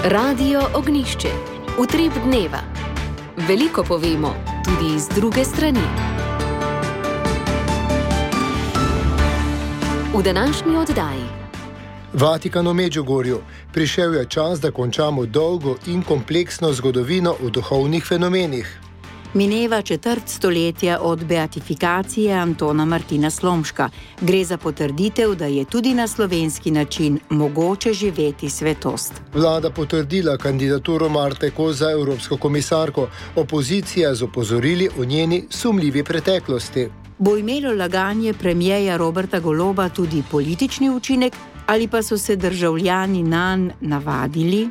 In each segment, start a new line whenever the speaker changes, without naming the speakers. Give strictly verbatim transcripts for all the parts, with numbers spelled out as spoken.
Radio Ognjišče. Utrip dneva. Veliko povemo, tudi iz druge strani. V današnji oddaji.
Vatikan v Medžugorju. Prišel je čas, da končamo dolgo in kompleksno zgodovino o duhovnih fenomenih.
Mineva četrt stoletja od beatifikacije Antona Martina Slomška. Gre za potrditev, da je tudi na slovenski način mogoče živeti svetost.
Vlada potrdila kandidaturo Marte Kos za evropsko komisarko. Opozicija z opozorili o njeni sumljivi preteklosti.
Bo imelo laganje premierja Roberta Goloba tudi politični učinek ali pa so se državljani nanj navadili?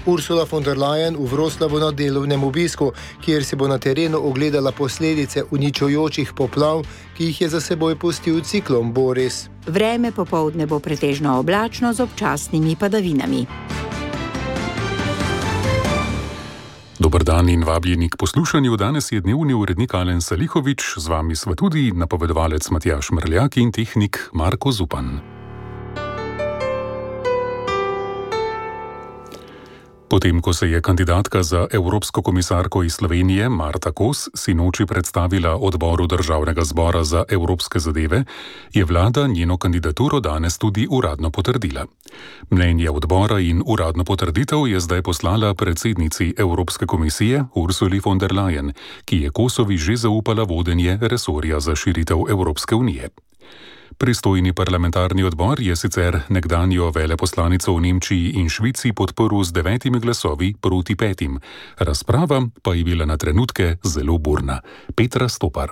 Ursula von der Leyen v Wroclawu na delovnem obisku, kjer si bo na terenu ogledala posledice uničujočih poplav, ki jih je za seboj pustil ciklon Boris.
Vreme popoldne bo pretežno oblačno z občasnimi padavinami.
Dober dan in vabljeni k poslušanju. Danes je dnevni urednik Alen Salihovič, z vami sva tudi napovedovalec Matjaž Mrljak in tehnik Marko Zupan. Potem, ko se je kandidatka za evropsko komisarko iz Slovenije Marta Kos sinoči predstavila odboru Državnega zbora za evropske zadeve, je vlada njeno kandidaturo danes tudi uradno potrdila. Mnenje odbora in uradno potrditev je zdaj poslala predsednici Evropske komisije Ursuli von der Leyen, ki je Kosovi že zaupala vodenje resorja za širitev Evropske unije. Pristojni parlamentarni odbor je sicer nekdanjo veleposlanico v Nemčiji in Švici podprl z devetimi glasovi proti petim. Razprava pa je bila na trenutke zelo burna. Petra Stopar.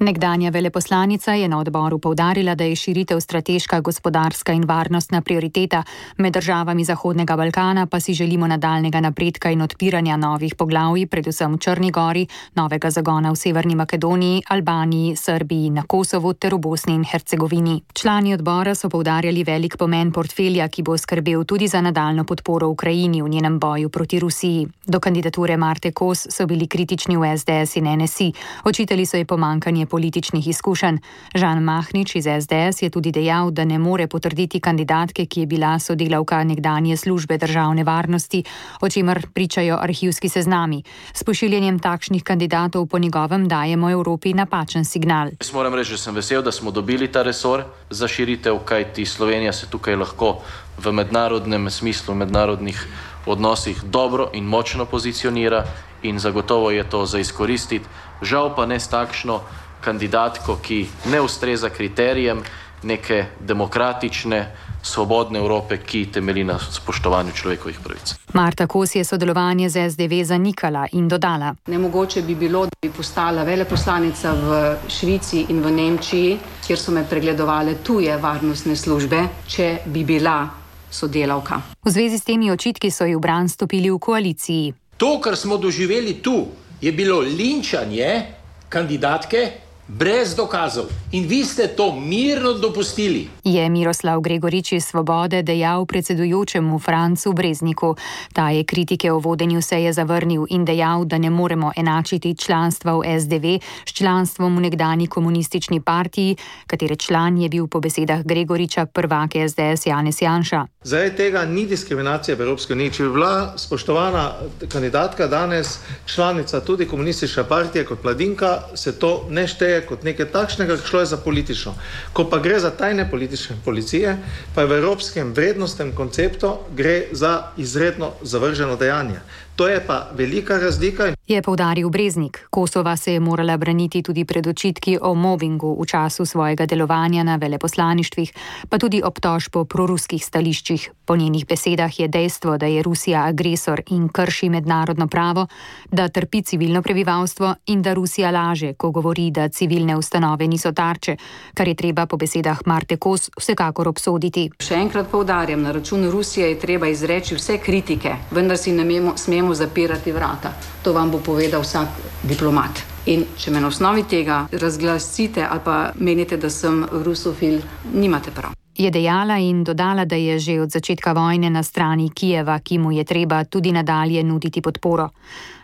Nekdanja veleposlanica je na odboru poudarila, da je širitev strateška, gospodarska in varnostna prioriteta, med državami Zahodnega Balkana pa si želimo nadaljnega napredka in odpiranja novih poglavij, predvsem v Črni Gori, novega zagona v Severni Makedoniji, Albaniji, Srbiji, na Kosovu ter v Bosni in Hercegovini. Člani odbora so poudarjali velik pomen portfelja, ki bo skrbel tudi za nadaljno podporo Ukrajini v njenem boju proti Rusiji. Do kandidature Marte Kos so bili kritični v S D S in N S I. Očitali so ji pomanjkanje političnih izkušenj. Žan Mahnič iz S D S je tudi dejal, da ne more potrditi kandidatke, ki je bila sodelavka nekdanje službe državne varnosti, o čemer pričajo arhivski seznami. S pošiljanjem takšnih kandidatov po njegovem dajemo Evropi napačen signal.
Jaz moram reči, da sem vesel, da smo dobili ta resor za širitev, kajti Slovenija se tukaj lahko v mednarodnem smislu, v mednarodnih odnosih dobro in močno pozicionira in zagotovo je to za izkoristiti. Žal pa ne s takšno kandidatko, ki ne ustreza kriterijem neke demokratične, svobodne Evrope, ki temelji na spoštovanju človekovih pravic.
Marta Kos je sodelovanje z S D V zanikala in dodala:
Nemogoče bi bilo, da bi postala veleposlanica v Švici in v Nemčiji, kjer so me pregledovale tuje varnostne službe, če bi bila sodelavka.
V zvezi s temi očitki so ji v bran stopili v koaliciji.
To, kar smo doživeli tu, je bilo linčanje kandidatke brez dokazov. In vi ste to mirno dopustili.
Je Miroslav Gregorič iz Svobode dejal predsedujočemu Francu Brezniku. Ta je kritike o vodenju seje zavrnil in dejal, da ne moremo enačiti članstva v S D V s članstvom v nekdanji komunistični partiji, katere član je bil po besedah Gregoriča prvak S D S Janez Janša.
Zaradi tega ni diskriminacije v Evropski uniji. Če bi bila spoštovana kandidatka danes članica tudi komunistične partije kot mladinka, se to ne šteje kot nekaj takšnega, šlo je za politično. Ko pa gre za tajne politične policije, pa je v evropskem vrednostnem konceptu gre za izredno zavrženo dejanje. To je pa velika razlika.
Je poudaril Breznik. Kosova se je morala braniti tudi pred očitki o mobingu v času svojega delovanja na veleposlaništvih, pa tudi obtožb po proruskih stališčih. Po njenih besedah je dejstvo, da je Rusija agresor in krši mednarodno pravo, da trpi civilno prebivalstvo in da Rusija laže, ko govori, da civilne ustanove niso tarče, kar je treba po besedah Marte Kos vsekakor obsoditi.
Še enkrat poudarjam, na račun Rusije je treba izreči vse kritike, vendar si ne smemo zapirati vrata. To vam bo povedal vsak diplomat. In če me na osnovi tega razglasite ali pa menite, da sem rusofil, nimate prav.
Je dejala in dodala, da je že od začetka vojne na strani Kijeva, ki mu je treba tudi nadalje nuditi podporo.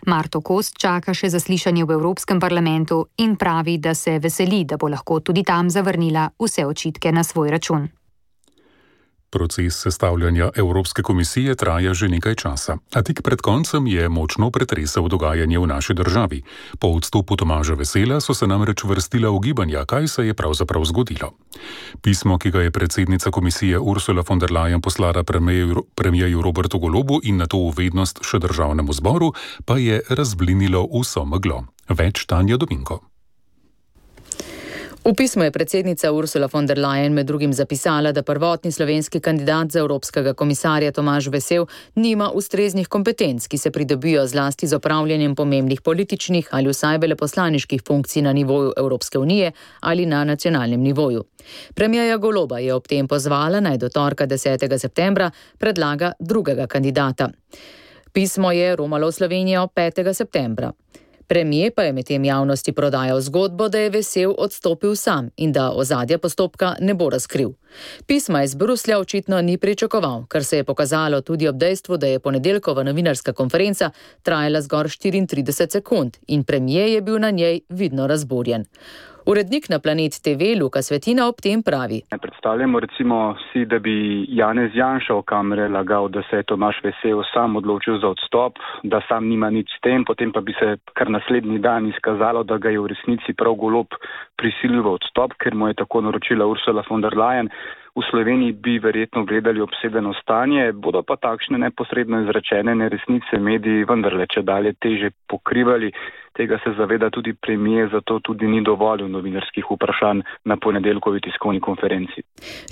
Marto Kos čaka še zaslišanje v Evropskem parlamentu in pravi, da se veseli, da bo lahko tudi tam zavrnila vse očitke na svoj račun.
Proces sestavljanja Evropske komisije traja že nekaj časa, a tik pred koncem je močno pretresel dogajanje v naši državi. Po odstopu Tomaža Vesela so se namreč vrstila ugibanja, kaj se je pravzaprav zgodilo. Pismo, ki ga je predsednica komisije Ursula von der Leyen poslala premierju Robertu Golobu in nato v vednost še državnemu zboru, pa je razblinilo vso meglo. Več Tanja Dominko.
V pismu je predsednica Ursula von der Leyen med drugim zapisala, da prvotni slovenski kandidat za evropskega komisarja Tomaž Vesel nima ustreznih kompetenc, ki se pridobijo zlasti z opravljanjem pomembnih političnih ali vsaj veleposlaniških funkcij na nivoju Evropske unije ali na nacionalnem nivoju. Premierja Goloba je ob tem pozvala, naj do torka desetega septembra predlaga drugega kandidata. Pismo je romalo v Slovenijo petega septembra. Premijer pa je medtem javnosti prodajal zgodbo, da je Vesel odstopil sam in da ozadja postopka ne bo razkril. Pisma iz Bruslja očitno ni pričakoval, kar se je pokazalo tudi ob dejstvu, da je ponedeljkova novinarska konferenca trajala zgolj štiriintrideset sekund in premijer je bil na njej vidno razburjen. Urednik na Planet te ve Luka Svetina ob tem pravi.
Predstavljamo recimo si, da bi Janez Janša v kamere lagal, da se je Tomaž Vesel sam odločil za odstop, da sam nima nič s tem, potem pa bi se kar naslednji dan izkazalo, da ga je v resnici prav Golob prisilil v odstop, ker mu je tako naročila Ursula von der Leyen. V Sloveniji bi verjetno gledali obsedeno stanje, bodo pa takšne neposredno izrečene neresnice mediji vendarle če dalje teže pokrivali. Tega se zaveda tudi premijer, zato tudi ni dovolil novinarskih vprašanj na ponedeljkovi tiskovni konferenci.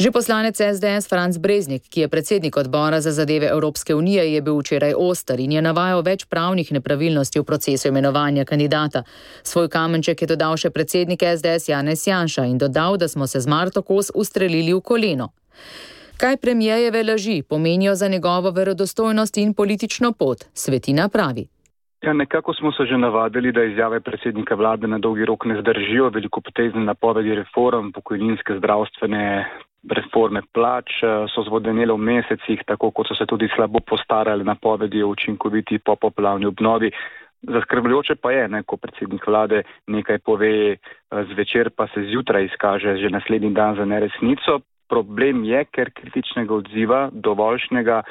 Že poslanec es de es Franc Breznik, ki je predsednik odbora za zadeve Evropske unije, je bil včeraj oster in je navajal več pravnih nepravilnosti v procesu imenovanja kandidata. Svoj kamenček je dodal še predsednik es de es Janez Janša in dodal, da smo se z Marto Kos ustrelili v koleno. Kaj premijerjeve laži pomenijo za njegovo verodostojnost in politično pot, Svetina pravi.
Ja, nekako smo se že navadili, da izjave predsednika vlade na dolgi rok ne zdržijo, velikopotezne napovedi reform, pokojninske, zdravstvene reforme plač so zvodenele v mesecih, tako kot so se tudi slabo postarali napovedi o učinkoviti popoplavni obnovi. Zaskrbljujoče pa je, ne, ko predsednik vlade nekaj pove zvečer, pa se zjutraj izkaže že naslednji dan za neresnico. Problem je, ker kritičnega odziva dovoljšnega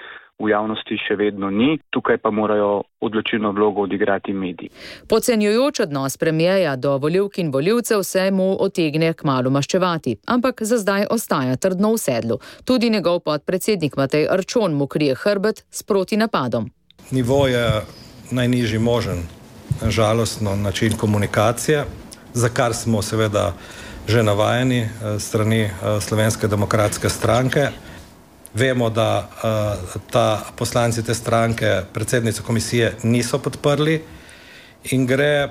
v javnosti še vedno ni, tukaj pa morajo odločilno vlogo odigrati mediji.
Podcenjujoč odnos premijerja do volivk in volivcev se mu otegne kmalu maščevati, ampak za zdaj ostaja trdno v sedlu. Tudi njegov podpredsednik Matej Arčon mu krije hrbet s protinapadom.
Nivo je najnižji možen, žalostno način komunikacije, za kar smo seveda že navajeni strani Slovenske demokratske stranke. Vemo, da uh, ta poslanci te stranke predsednico komisije niso podprli in gre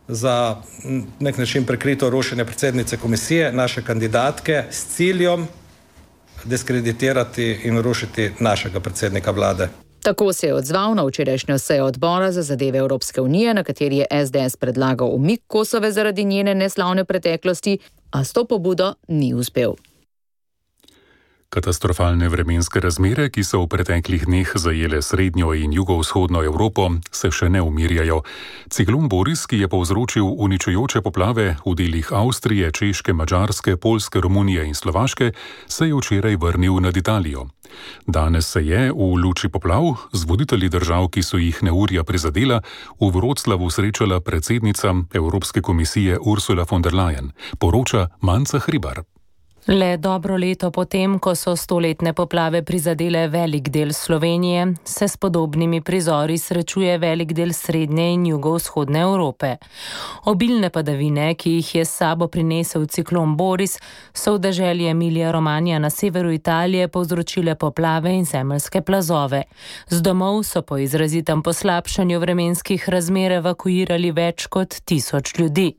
za nek način prekrito rušenje predsednice komisije, naše kandidatke, s ciljem diskreditirati in rušiti našega predsednika vlade.
Tako se je odzval na včerajšnjo sejo odbora za zadeve Evropske unije, na kateri je es de es predlagal umik Kosove zaradi njene neslavne preteklosti, a s to pobudo ni uspel.
Katastrofalne vremenske razmere, ki so v preteklih dneh zajele srednjo in jugovzhodno Evropo, se še ne umirjajo. Ciklon Boris, ki je povzročil uničujoče poplave v delih Avstrije, Češke, Madžarske, Poljske, Romunije in Slovaške, se je včeraj vrnil nad Italijo. Danes se je v luči poplav z voditelji držav, ki so jih neurja prizadela, v Vroclavu srečala predsednica Evropske komisije Ursula von der Leyen, poroča Manca Hribar.
Le dobro leto potem, ko so stoletne poplave prizadele velik del Slovenije, se s podobnimi prizori srečuje velik del srednje in jugovzhodne Evrope. Obilne padavine, ki jih je s sabo prinesel ciklon Boris, so v deželi Emilija Romagna na severu Italije povzročile poplave in zemeljske plazove. Z domov so po izrazitem poslabšanju vremenskih razmer evakuirali več kot tisoč ljudi.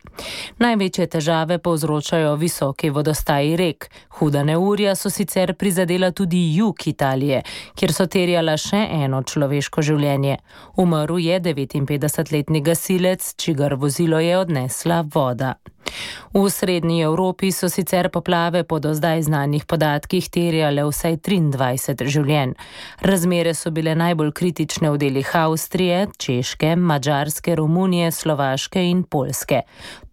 Največje težave povzročajo visoki vodostaji rek. Huda neurja so sicer prizadela tudi jug Italije, kjer so terjala še eno človeško življenje. Umrl je devetinpetdesetletni gasilec, čigar vozilo je odnesla voda. V srednji Evropi so sicer poplave po do zdaj znanih podatkih terjale vsaj triindvajset življenj. Razmere so bile najbolj kritične v delih Avstrije, Češke, Madžarske, Romunije, Slovaške in Poljske.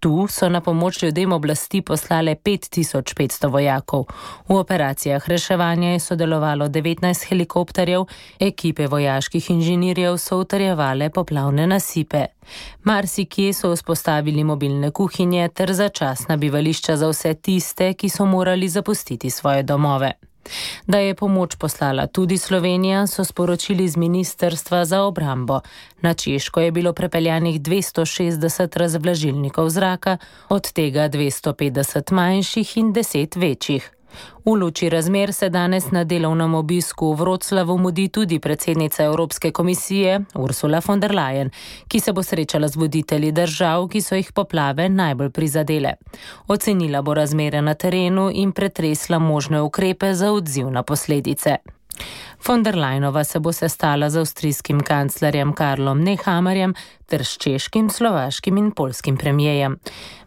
Tu so na pomoč ljudem oblasti poslale pet tisoč petsto vojakov. V operacijah reševanja je sodelovalo devetnajst helikopterjev, ekipe vojaških inženirjev so utrjevale poplavne nasipe. Marsikje so vzpostavili mobilne kuhinje ter začasna bivališča za vse tiste, ki so morali zapustiti svoje domove. Da je pomoč poslala tudi Slovenija, so sporočili z Ministrstva za obrambo. Na Češko je bilo prepeljanih dvesto šestdeset razvlažilnikov zraka, od tega dvesto petdeset manjših in deset večjih. V luči razmer se danes na delovnem obisku v Wroclawu mudi tudi predsednica Evropske komisije Ursula von der Leyen, ki se bo srečala z voditelji držav, ki so jih poplave najbolj prizadele. Ocenila bo razmere na terenu in pretresla možne ukrepe za odziv na posledice. Von der Leyenova se bo sestala z avstrijskim kanclerjem Karlom Nehammerjem ter s češkim, slovaškim in poljskim premijejem.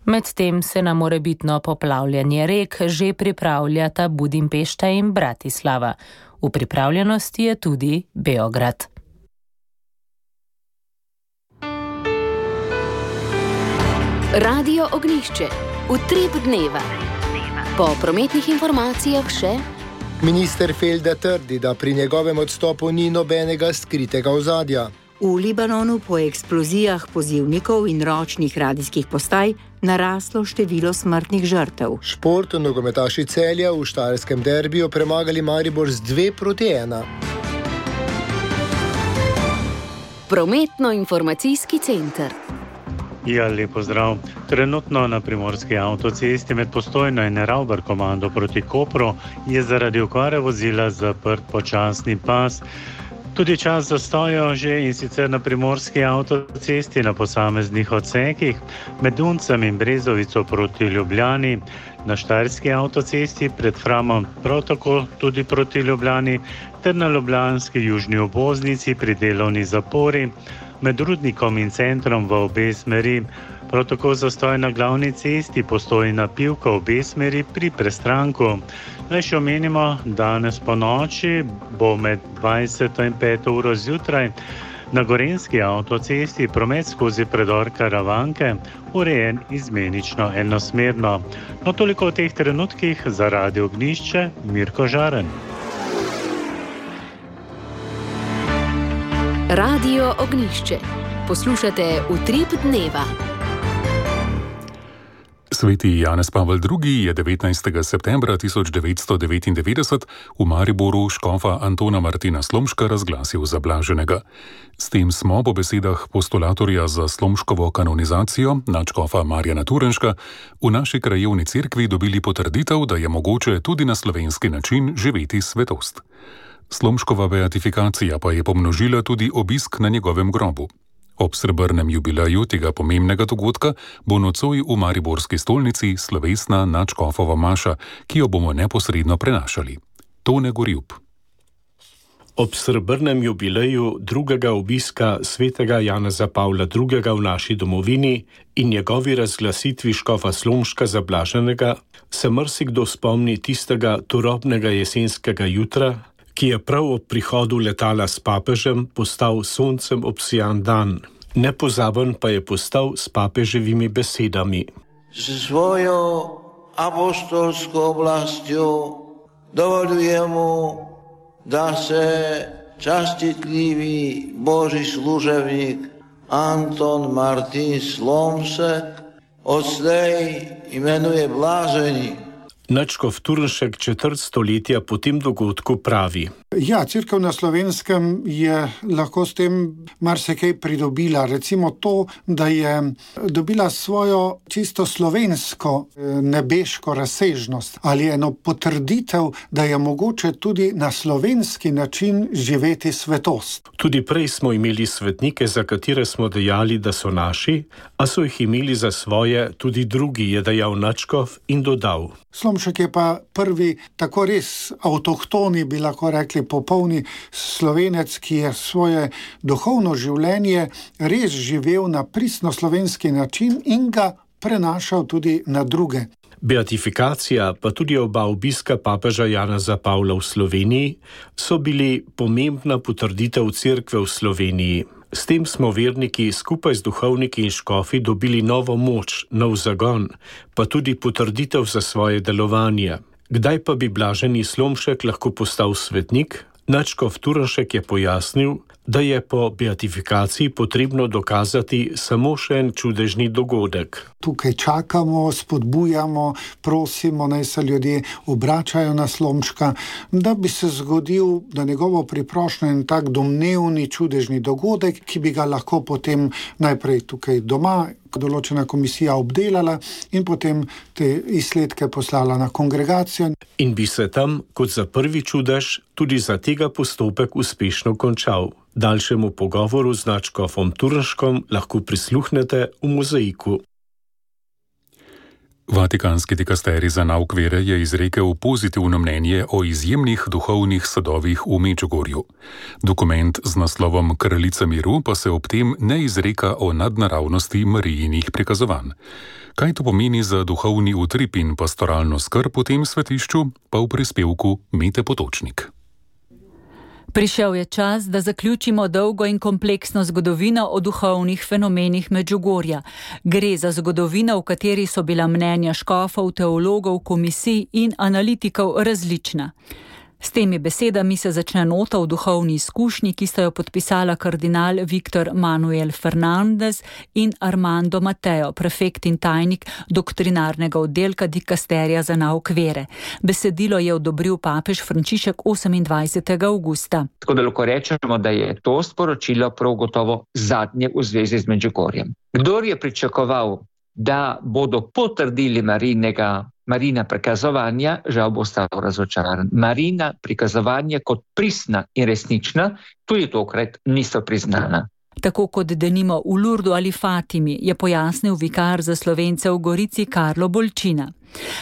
Medtem se na morebitno poplavljanje rek že pripravljata Budimpešta in Bratislava. V pripravljenosti je tudi Beograd.
Radio Ognjišče. Utrip dneva. Po prometnih informacijah še...
Minister Felda trdi, da pri njegovem odstopu ni nobenega skritega ozadja.
V Libanonu po eksplozijah pozivnikov in ročnih radijskih postaj naraslo število smrtnih žrtev.
Šport nogometaši Celja v štajerskem derbiju premagali Maribor z dve proti ena.
Prometno-informacijski center.
Ja, lepo zdrav. Trenutno na primorski avtocesti med Postojno in Ravbar komando proti Kopru je zaradi okvare vozila zaprt počasni pas. Tudi čas zastoja že in sicer na primorski avtocesti na posameznih odsekih, med Duncem in Brezovico proti Ljubljani, na štajerski avtocesti pred Framom prav tako tudi proti Ljubljani, ter na ljubljanski južni obvoznici pri delovni zapori, med Rudnikom in centrom v obe smeri. Prav tako zastoj na glavni cesti Postojna Pivka v obe smeri pri Prestranku. Naj še omenimo, danes po noči bo med dvajseto in peto uro zjutraj na Gorenjski avtocesti promet skozi predor Karavanke urejen izmenično enosmerno. No, toliko v teh trenutkih za Radio Ognjišče, Mirko Žaren.
Radio Ognjišče. Poslušate Utrip dneva.
Sveti Janez Pavel drugi. je devetnajstega septembra tisoč devetsto devetindevetdeset v Mariboru škofa Antona Martina Slomška razglasil za blaženega. S tem smo po besedah postulatorja za Slomškovo kanonizacijo, nadškofa Marjana Turenška, v naši krajevni cerkvi dobili potrditev, da je mogoče tudi na slovenski način živeti svetost. Slomškova beatifikacija pa je pomnožila tudi obisk na njegovem grobu. Ob srebrnem jubileju tega pomembnega dogodka bo nocoj v mariborski stolnici slovesna nadškofova maša, ki jo bomo neposredno prenašali. Tone Gorjub.
Ob srebrnem jubileju drugega obiska svetega Janeza Pavla drugega. v naši domovini in njegovi razglasitvi škofa Slomška za blaženega se marsikdo spomni tistega turobnega jesenskega jutra, ki je prav ob prihodu letala s papežem postal soncem obsijan dan. Nepozaben pa je postal s papeževimi besedami.
S svojo apostolsko oblastjo dovoljujem mu, da se častitljivi Božji služebnik Anton Martin Slomšek odslej imenuje blaženi.
Nadškof Turnšek četrt stoletja po tem dogodku pravi.
Ja, cerkev na Slovenskem je lahko s tem marsikaj pridobila. Recimo to, da je dobila svojo čisto slovensko nebeško razsežnost ali eno potrditev, da je mogoče tudi na slovenski način živeti svetost.
Tudi prej smo imeli svetnike, za katere smo dejali, da so naši, a so jih imeli za svoje tudi drugi, je dejal nadškof in dodal.
Slomšek je pa prvi tako res avtohtoni, bi lahko rekli, popolni Slovenec, ki je svoje duhovno življenje res živel na pristno slovenski način in ga prenašal tudi na druge.
Beatifikacija, pa tudi oba obiska papeža Janeza Pavla v Sloveniji, so bili pomembna potrditev cerkve v Sloveniji. S tem smo verniki skupaj z duhovniki in škofi dobili novo moč, nov zagon, pa tudi potrditev za svoje delovanje. Kdaj pa bi blaženi Slomšek lahko postal svetnik? Nadškof Turnšek je pojasnil, da je po beatifikaciji potrebno dokazati samo še en čudežni dogodek.
Tukaj čakamo, spodbujamo, prosimo, naj se ljudje obračajo na Slomška, da bi se zgodil, da njegovo priprošnjo en tak domnevni čudežni dogodek, ki bi ga lahko potem najprej tukaj doma določena komisija obdelala in potem te izsledke poslala na kongregacijo.
In bi se tam, kot za prvi čudež, tudi za tega postopek uspešno končal. Daljšemu pogovoru z nadškofom Turnškom lahko prisluhnete v mozaiku.
Vatikanski dikasterij za nauk vere je izrekel pozitivno mnenje o izjemnih duhovnih sadovih v Medžugorju. Dokument z naslovom Kraljica miru pa se ob tem ne izreka o nadnaravnosti Marijinih prikazovanj. Kaj to pomeni za duhovni utrip in pastoralno skrb v tem svetišču, pa v prispevku Mete Potočnik.
Prišel je čas, da zaključimo dolgo in kompleksno zgodovino o duhovnih fenomenih Medžugorja. Gre za zgodovino, v kateri so bila mnenja škofov, teologov, komisij in analitikov različna. S temi besedami se začne nota v duhovni izkušnji, ki sta jo podpisala kardinal Viktor Manuel Fernandez in Armando Mateo, prefekt in tajnik doktrinarnega oddelka dikasterija za nauk vere. Besedilo je odobril papež Frančišek osemindvajsetega avgusta.
Tako da lahko rečemo, da je to sporočilo prav gotovo zadnje v zvezi z Medžugorjem. Kdor je pričakoval, da bodo potrdili Marinega Marina prikazovanja, žal bo ostal razočaran. Marina prikazovanja kot pristna in resnična tudi tokrat niso priznana.
Tako kot denimo v Lurdu ali Fatimi, je pojasnil vikar za Slovence v Gorici Karlo Bolčina.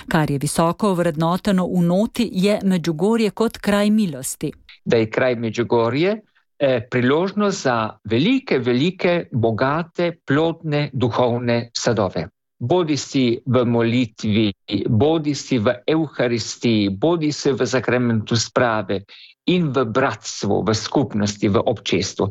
Kar je visoko vrednoteno v noti, je Medžugorje kot kraj milosti.
Da je kraj Medžugorje eh, priložnost za velike, velike, bogate, plodne, duhovne sadove. Bodi si v molitvi, bodi si v Evharistiji, bodi si v sakramentu sprave in v bratstvu, v skupnosti, v občestvu.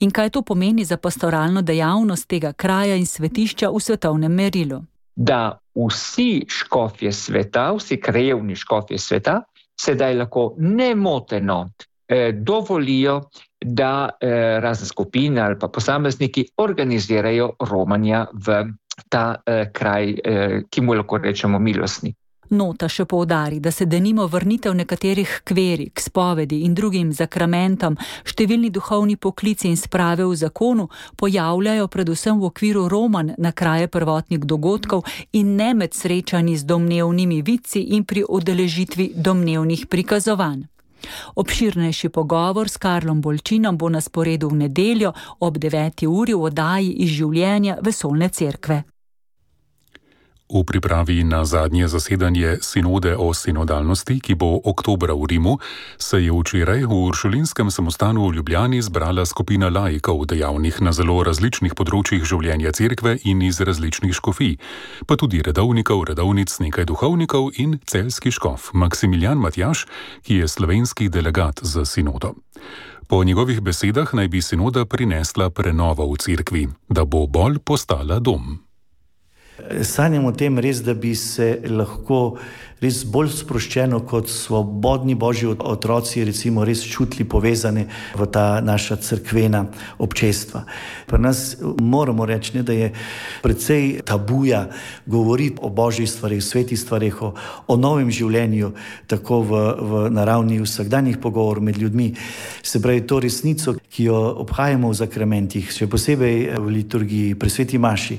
In kaj to pomeni za pastoralno dejavnost tega kraja in svetišča v svetovnem merilu?
Da vsi škofje sveta, vsi krajevni škofje sveta, sedaj lahko nemoteno eh, dovolijo, da eh, razne skupine ali pa posamezniki organizirajo romanja v ta eh, kraj, eh, ki mu lahko rečemo milostni.
Nota še poudari, da se denimo vrnitev nekaterih kveri k spovedi in drugim zakramentom, številni duhovni poklici in sprave v zakonu pojavljajo predvsem v okviru romanj na kraje prvotnih dogodkov in ne med srečanji z domnevnimi vidci in pri udeležitvi domnevnih prikazovanj. Obširnejši pogovor s Karlom Bolčinom bo na sporedu v nedeljo ob deveti uri v oddaji Iz življenja vesoljne cerkve.
V pripravi na zadnje zasedanje sinode o sinodalnosti, ki bo oktobra v Rimu, se je včeraj v Uršulinskem samostanu v Ljubljani zbrala skupina laikov, dejavnih na zelo različnih področjih življenja cerkve in iz različnih škofij, pa tudi redovnikov, redovnic, nekaj duhovnikov in celjski škof Maksimilijan Matjaž, ki je slovenski delegat za sinodo. Po njegovih besedah naj bi sinoda prinesla prenovo v cerkvi, da bo bolj postala dom.
Sanjam o tem res, da bi se lahko res bolj sproščeno kot svobodni božji otroci recimo res čutili povezane v ta naša cerkvena občestva. Pri nas moramo reči, ne, da je precej tabuja govoriti o božjih stvareh, svetih stvareh, o, o novem življenju, tako v, v naravni vsakdanjih pogovor med ljudmi. Se pravi, to resnico, ki jo obhajamo v zakramentih, še posebej v liturgiji, pri sveti maši,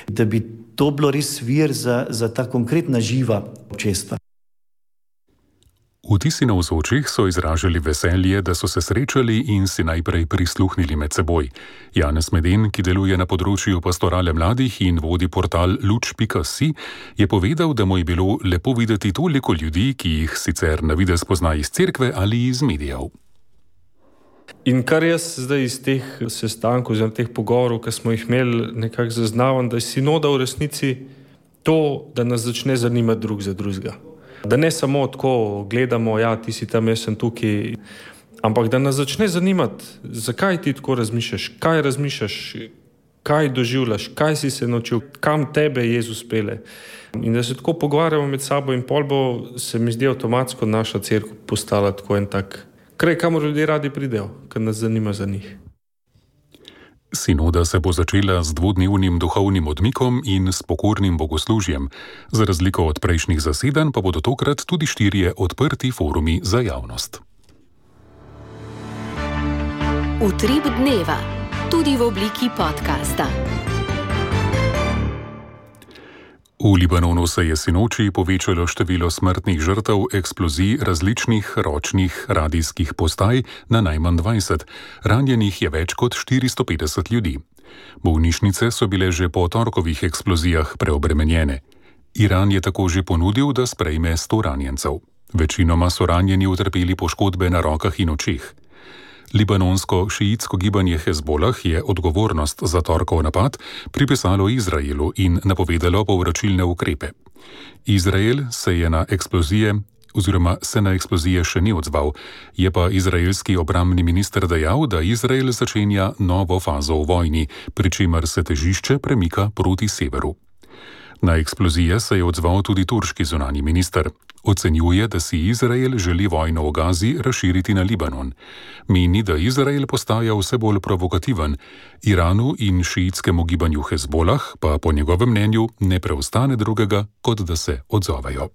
da bi to bilo res vir za, za ta konkretna živa občestva.
Vtisi navzočih so izražali veselje, da so se srečali in si najprej prisluhnili med seboj. Janez Meden, ki deluje na področju pastorale mladih in vodi portal luč pika si, je povedal, da mu je bilo lepo videti toliko ljudi, ki jih sicer na videz pozna iz cerkve ali iz medijev.
In kar jaz zdaj iz teh sestankov, oziroma teh pogovorov, ki smo jih imeli, nekako zaznavam, da je sinoda v resnici to, da nas začne zanimati drug za drugega. Da ne samo tako gledamo, ja, ti si tam, jaz sem tukaj, ampak da nas začne zanimati, zakaj ti tako razmišljaš, kaj razmišljaš, kaj doživljaš, kaj si se naučil, kam tebe Jezus pele. In da se tako pogovarjamo med sabo in pol bo, se mi zdi avtomatsko naša cerkev postala tako en tak kraj, kamor ljudje radi pridejo, ker nas zanima za njih.
Sinoda se bo začela z dvodnevnim duhovnim odmikom in s pokornim bogoslužjem. Za razliko od prejšnjih zasedanj pa bodo tokrat tudi štirje odprti forumi za javnost.
Utrip dneva, tudi v obliki podcasta.
V Libanonu se je sinoči povečalo število smrtnih žrtev eksplozij različnih ročnih radijskih postaj na najmanj dvajset. Ranjenih je več kot štiristo petdeset ljudi. Bolnišnice so bile že po torkovih eksplozijah preobremenjene. Iran je tako že ponudil, da sprejme sto ranjencev. Večinoma so ranjeni utrpeli poškodbe na rokah in očeh. Libanonsko šiitsko gibanje Hezbolah je odgovornost za torkov napad pripisalo Izraelu in napovedalo povračilne ukrepe. Izrael se je na eksplozije oziroma se na eksplozije še ni odzval, je pa izraelski obrambni minister dejal, da Izrael začenja novo fazo v vojni, pri čemer se težišče premika proti severu. Na eksplozije se je odzval tudi turški zunanji minister. Ocenjuje, da si Izrael želi vojno v Gazi razširiti na Libanon. Meni, da Izrael postaja vse bolj provokativen, Iranu in šiitskemu gibanju Hezbolah pa po njegovem mnenju ne preostane drugega, kot da se odzovejo.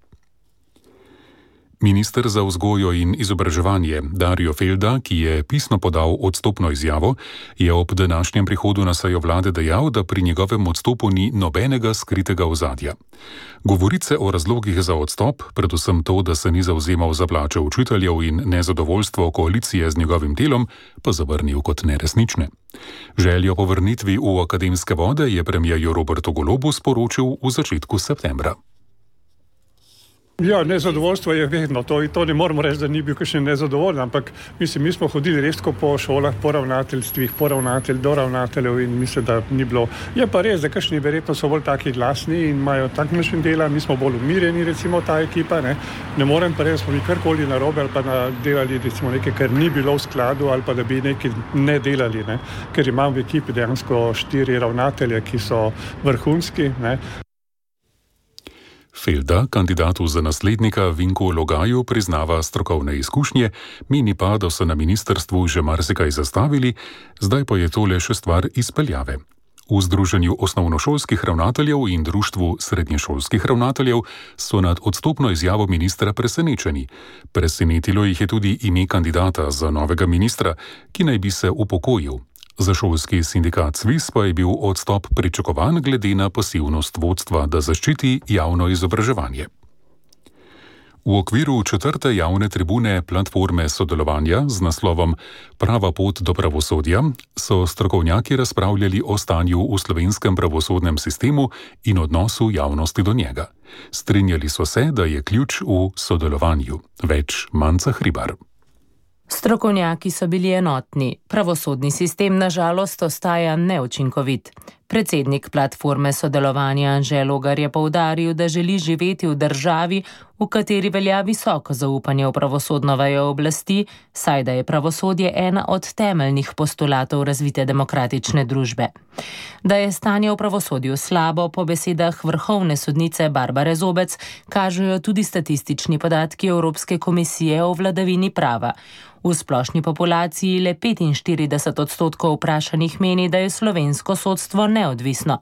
Minister za vzgojo in izobraževanje Dario Felda, ki je pisno podal odstopno izjavo, je ob današnjem prihodu na sejo vlade dejal, da pri njegovem odstopu ni nobenega skritega ozadja. Govorice o razlogih za odstop, predvsem to, da se ni zavzemal za plače učiteljev in nezadovoljstvo koalicije z njegovim delom, pa zavrnil kot neresnične. Željo po vrnitvi v akademske vode je premierju Robertu Golobu sporočil v začetku septembra.
Ja, nezadovoljstvo je vedno, to, to ne moramo reči, da ni bil kakšen nezadovoljen, ampak mislim, mi smo hodili res po šolah, po ravnateljstvih, po ravnatelj, do ravnateljev in mislim, da ni bilo. Je pa res, da kakšni verjetno so bolj taki glasni in imajo tak način dela, mi smo bolj umirjeni, recimo ta ekipa, ne, ne morem pa reči, smo mi karkoli narobe ali pa delali recimo nekaj, kar ni bilo v skladu ali pa da bi nekaj ne delali, ne, ker imam v ekipi dejansko štiri ravnatelje, ki so vrhunski, ne.
Felda kandidatu za naslednika Vinku Logaju priznava strokovne izkušnje, meni pa, da so na ministrstvu že marsikaj zastavili, zdaj pa je to le še stvar izpeljave. V Združenju osnovnošolskih ravnateljev in Društvu srednješolskih ravnateljev so nad odstopno izjavo ministra presenečeni. Presenetilo jih je tudi ime kandidata za novega ministra, ki naj bi se upokojil. Za šolski sindikat Sviz pa je bil odstop pričakovan glede na pasivnost vodstva, da zaščiti javno izobraževanje. V okviru četrte javne tribune platforme sodelovanja z naslovom Prava pot do pravosodja so strokovnjaki razpravljali o stanju v slovenskem pravosodnem sistemu in odnosu javnosti do njega. Strinjali so se, da je ključ v sodelovanju. Več Manca Hribar.
Strokovnjaki so bili enotni. Pravosodni sistem na žalost ostaja neučinkovit. Predsednik platforme sodelovanja Anže Logar je poudaril, da želi živeti v državi, v kateri velja visoko zaupanje v pravosodno vejo oblasti, saj da je pravosodje ena od temeljnih postulatov razvite demokratične družbe. Da je stanje v pravosodju slabo, po besedah vrhovne sodnice Barbare Zobec, kažejo tudi statistični podatki Evropske komisije o vladavini prava. V splošni populaciji le petinštirideset odstotkov vprašanih meni, da je slovensko sodstvo neodvisno.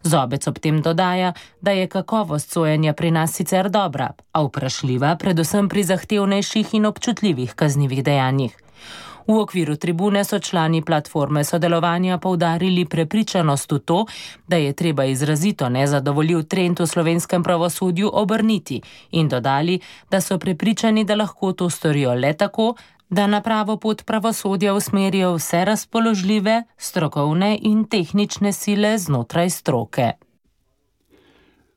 Zobec ob tem dodaja, da je kakovost sojenja pri nas sicer dobra, a vprašljiva predvsem pri zahtevnejših in občutljivih kaznivih dejanjih. V okviru tribune so člani platforme sodelovanja poudarili prepričanost v to, da je treba izrazito nezadovoljiv trend v slovenskem pravosodju obrniti in dodali, da so prepričani, da lahko to storijo le tako, da na pravo pot pravosodja usmerijo vse razpoložljive, strokovne in tehnične sile znotraj stroke.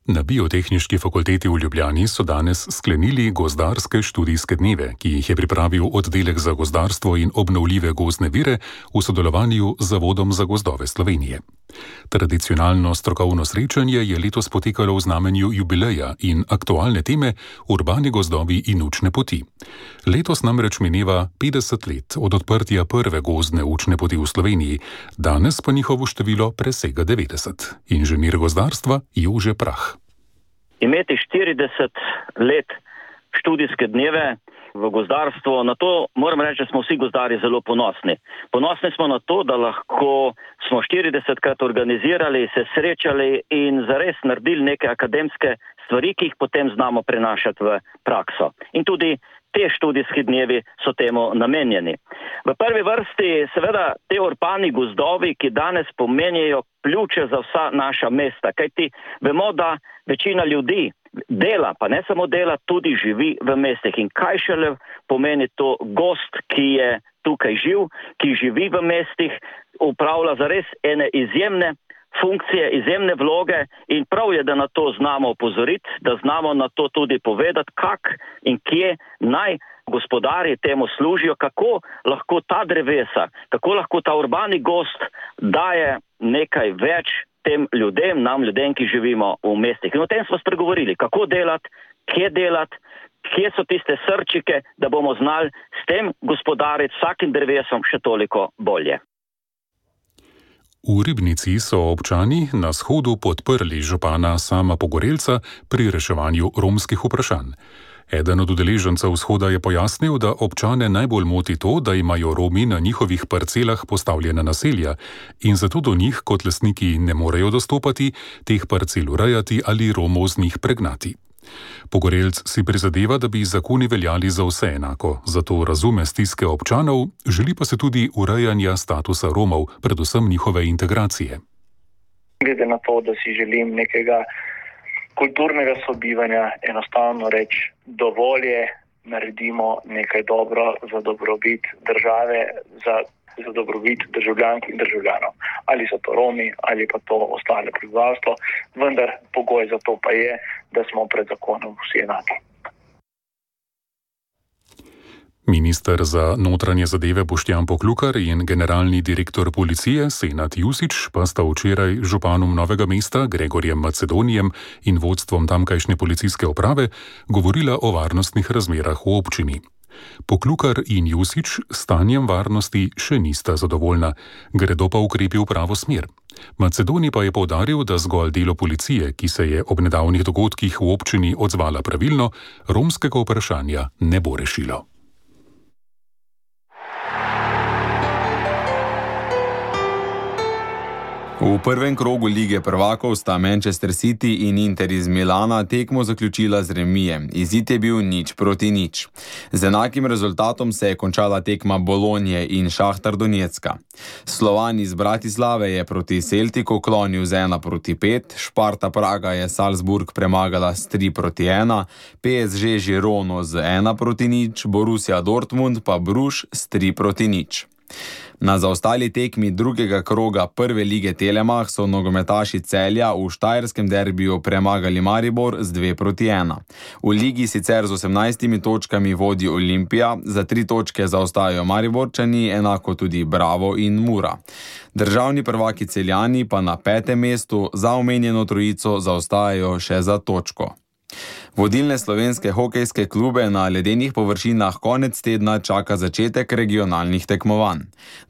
Na Biotehniški fakulteti v Ljubljani so danes sklenili gozdarske študijske dneve, ki jih je pripravil oddelek za gozdarstvo in obnovljive gozdne vire v sodelovanju z Zavodom za gozdove Slovenije. Tradicionalno strokovno srečanje je letos potekalo v znamenju jubileja in aktualne teme urbani gozdovi in učne poti. Letos namreč mineva petdeset let od odprtja prve gozdne učne poti v Sloveniji, danes pa njihovo število presega devetdeset. Inženir gozdarstva Jože Prah.
Imeti štirideset let študijske dneve v gozdarstvu, na to moram reči, da smo vsi gozdarji zelo ponosni. Ponosni smo na to, da lahko smo štiridesetkrat organizirali, se srečali in zares naredili neke akademske stvari, ki jih potem znamo prenašati v prakso. In tudi te študijski dnevi so temu namenjeni. V prvi vrsti seveda te urbani gozdovi, ki danes pomenijo ključe za vsa naša mesta, kajti vemo, da večina ljudi dela, pa ne samo dela, tudi živi v mestih. In kaj šele pomeni to gost, ki je tukaj živ, ki živi v mestih, upravlja zares ene izjemne funkcije, izjemne vloge in prav je, da na to znamo opozoriti, da znamo na to tudi povedati, kak in kje naj gospodarji temu služijo, kako lahko ta drevesa, kako lahko ta urbani gost daje nekaj več tem ljudem, nam ljudem, ki živimo v mestih. In o tem smo spregovorili, kako delati, kje delati, kje so tiste srčike, da bomo znali s tem gospodariti vsakim drevesom še toliko bolje.
V Ribnici so občani na shodu podprli župana Sama Pogorelca pri reševanju romskih vprašanj. Eden od udeležencev shoda je pojasnil, da občane najbolj moti to, da imajo Romi na njihovih parcelah postavljena naselja in zato do njih kot lastniki ne morejo dostopati, teh parcel urejati ali Romov z njih pregnati. Pogorelc si prizadeva, da bi zakoni veljali za vse enako, zato razume stiske občanov, želi pa se tudi urejanja statusa Romov, predvsem njihove integracije.
Glede na to, da si želim nekega kulturnega sobivanja, enostavno reči, dovolj je, naredimo nekaj dobro za dobrobit države, za, za dobrobit državljank in državljanov. Ali so to Romi, ali pa to ostale prebivalstvo, vendar pogoj za to pa je, da smo pred zakonom vsi enaki.
Minister za notranje zadeve Boštjan Poklukar in generalni direktor policije Senad Jusić pa sta včeraj županom Novega mesta Gregorjem Macedonijem in vodstvom tamkajšnje policijske uprave govorila o varnostnih razmerah v občini. Poklukar in Jusić stanjem varnosti še nista zadovoljna, gredo pa ukrepi v pravo smer. Macedonij pa je poudaril, da zgolj delo policije, ki se je ob nedavnih dogodkih v občini odzvala pravilno, romskega vprašanja ne bo rešilo.
V prvem krogu Lige prvakov sta Manchester City in Inter iz Milana tekmo zaključila z remijem. Izid je bil nič proti nič. Z enakim rezultatom se je končala tekma Bolonje in Šahtar Donjecka. Slovan iz Bratislave je proti Celtiku klonil z ena proti pet, Sparta Praga je Salzburg premagala s tri proti ena, P S G Žirono z ena proti nič, Borussia Dortmund pa Bruž s tri proti nič. Na zaostali tekmi drugega kroga prve lige Telemach so nogometaši Celja v štajerskem derbiju premagali Maribor z dve proti ena. V ligi sicer z osemnajstimi točkami vodi Olimpija, za tri točke zaostajajo Mariborčani, enako tudi Bravo in Mura. Državni prvaki Celjani pa na petem mestu za omenjeno trojico zaostajajo še za točko. Vodilne slovenske hokejske klube na ledenih površinah konec tedna čaka začetek regionalnih tekmovanj.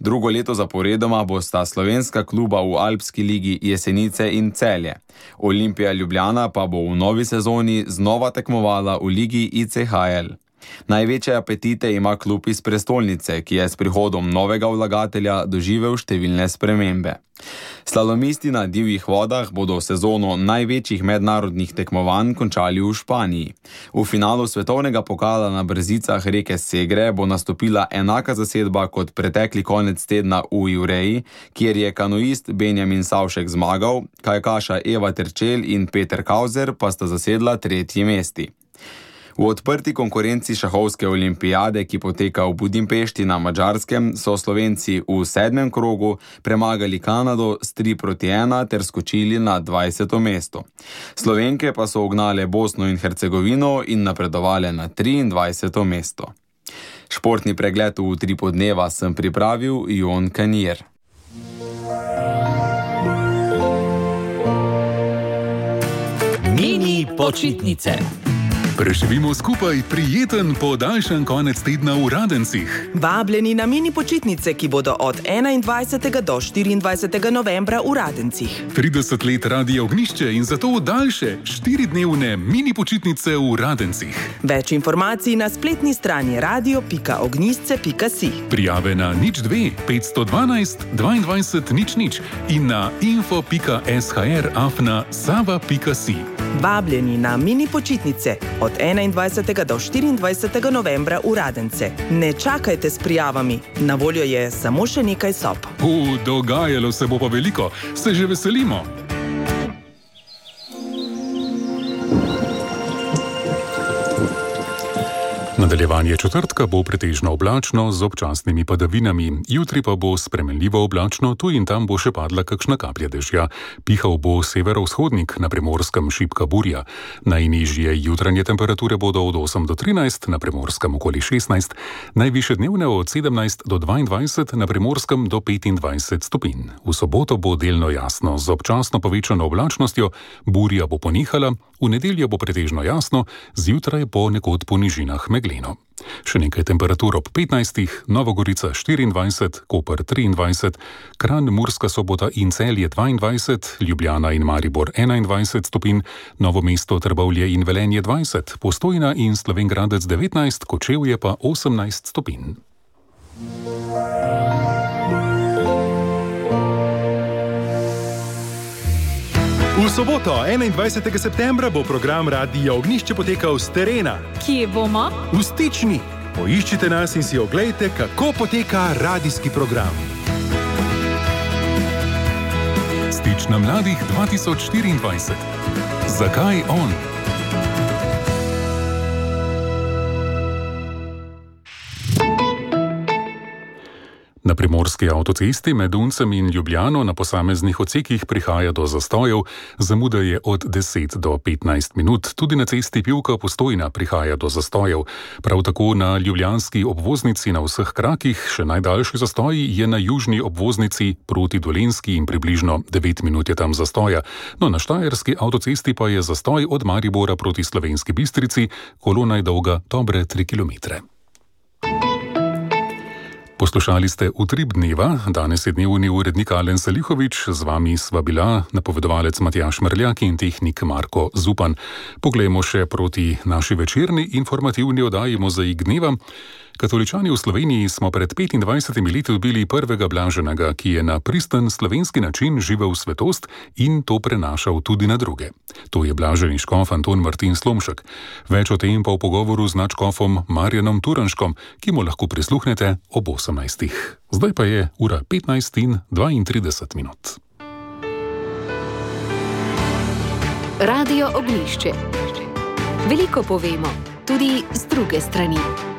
Drugo leto zaporedoma bosta slovenska kluba v Alpski ligi Jesenice in Celje. Olimpija Ljubljana pa bo v novi sezoni znova tekmovala v ligi I C H L. Največje apetite ima klub iz prestolnice, ki je s prihodom novega vlagatelja doživel številne spremembe. Slalomisti na divjih vodah bodo sezono največjih mednarodnih tekmovanj končali v Španiji. V finalu svetovnega pokala na brzicah reke Segre bo nastopila enaka zasedba kot pretekli konec tedna v Jureji, kjer je kanoist Benjamin Savšek zmagal, kajakaša Eva Terčelj in Peter Kauzer pa sta zasedla tretji mesti. V odprti konkurenci šahovske olimpijade, ki poteka v Budimpešti na Madžarskem, so Slovenci v sedmem krogu premagali Kanado s tri proti ena ter skočili na dvajseto mesto. Slovenke pa so ugnale Bosno in Hercegovino in napredovale na triindvajseto mesto. Športni pregled v Utripu dneva sem pripravil Jon Kanier.
Mini počitnice.
Preživimo skupaj prijeten podaljšan konec tedna v Radencih.
Vabljeni na mini počitnice, ki bodo od enaindvajsetega do štiriindvajsetega novembra v Radencih.
trideset let Radia Ognjišče in zato daljše štiridnevne mini počitnice v Radencih.
Več informacij na spletni strani radio pika ognjišče pika si.
Prijave na nič dve petsto dvanajst dvaindvajset nič nič in na info pika sh afna sava pika si.
Vabljeni na mini počitnice od enaindvajsetega do štiriindvajsetega novembra v Radence. Ne čakajte s prijavami, na voljo je samo še nekaj sob.
U, dogajalo se bo pa veliko, se že veselimo. Nadaljevanje četrtka bo pretežno oblačno z občasnimi padavinami. Jutri pa bo spremenljivo oblačno, tu in tam bo še padla kakšna kaplja dežja. Pihal bo severovzhodnik, na Primorskem šibka burja. Najnižje jutranje temperature bodo od osem do trinajst, na Primorskem okoli šestnajst, najvišje dnevne od sedemnajst do dvaindvajset, na Primorskem do petindvajset stopinj. V soboto bo delno jasno, z občasno povečano oblačnostjo, burja bo ponehala, v nedeljo bo pretežno jasno, zjutraj po nekod po nižinah megleno. Še nekaj temperatur ob petnajstih, Nova Gorica štiriindvajset, Koper triindvajset, Kranj, Murska Sobota in Celje dvaindvajset, Ljubljana in Maribor enaindvajset stopinj, Novo mesto, Trbovlje in Velenje dvajset, Postojna in Slovenj Gradec devetnajst, Kočevje pa osemnajst stopinj.
V soboto, enaindvajsetega septembra, bo program Radia Ognjišče potekal s terena.
Kje bomo?
V Stični. Poiščite nas in si oglejte, kako poteka radijski program.
Stična mladih dva tisoč štiriindvajset. Zakaj on? Na Primorski avtocesti med Uncem in Ljubljano na posameznih odsekih prihaja do zastojev, zamuda je od deset do petnajst minut. Tudi na cesti Pivka-Postojna prihaja do zastojev. Prav tako na ljubljanski obvoznici na vseh krakih, še najdaljši zastoj je na južni obvoznici proti Dolenjski in približno devet minut je tam zastoja. No, na štajerski avtocesti pa je zastoj od Maribora proti Slovenski Bistrici, kolona je dolga dobre tri kilometre. Poslušali ste Utrip dneva, danes je dnevni urednik Alen Salihovič, z vami sva bila napovedovalec Matjaž Mrljak in tehnik Marko Zupan. Poglejmo še proti naši večerni informativni oddaji Mozaik dneva. Katoličani v Sloveniji smo pred petindvajsetimi leti dobili prvega blaženega, ki je na pristen slovenski način živel svetost in to prenašal tudi na druge. To je blaženi škof Anton Martin Slomšek. Več o tem pa v pogovoru z nadškofom Marjanom Turanškom, ki mu lahko prisluhnete ob osemnajstih. Zdaj pa je ura petnajst in dvaintrideset minut.
Radio Ognjišče. Veliko povemo, tudi z druge strani.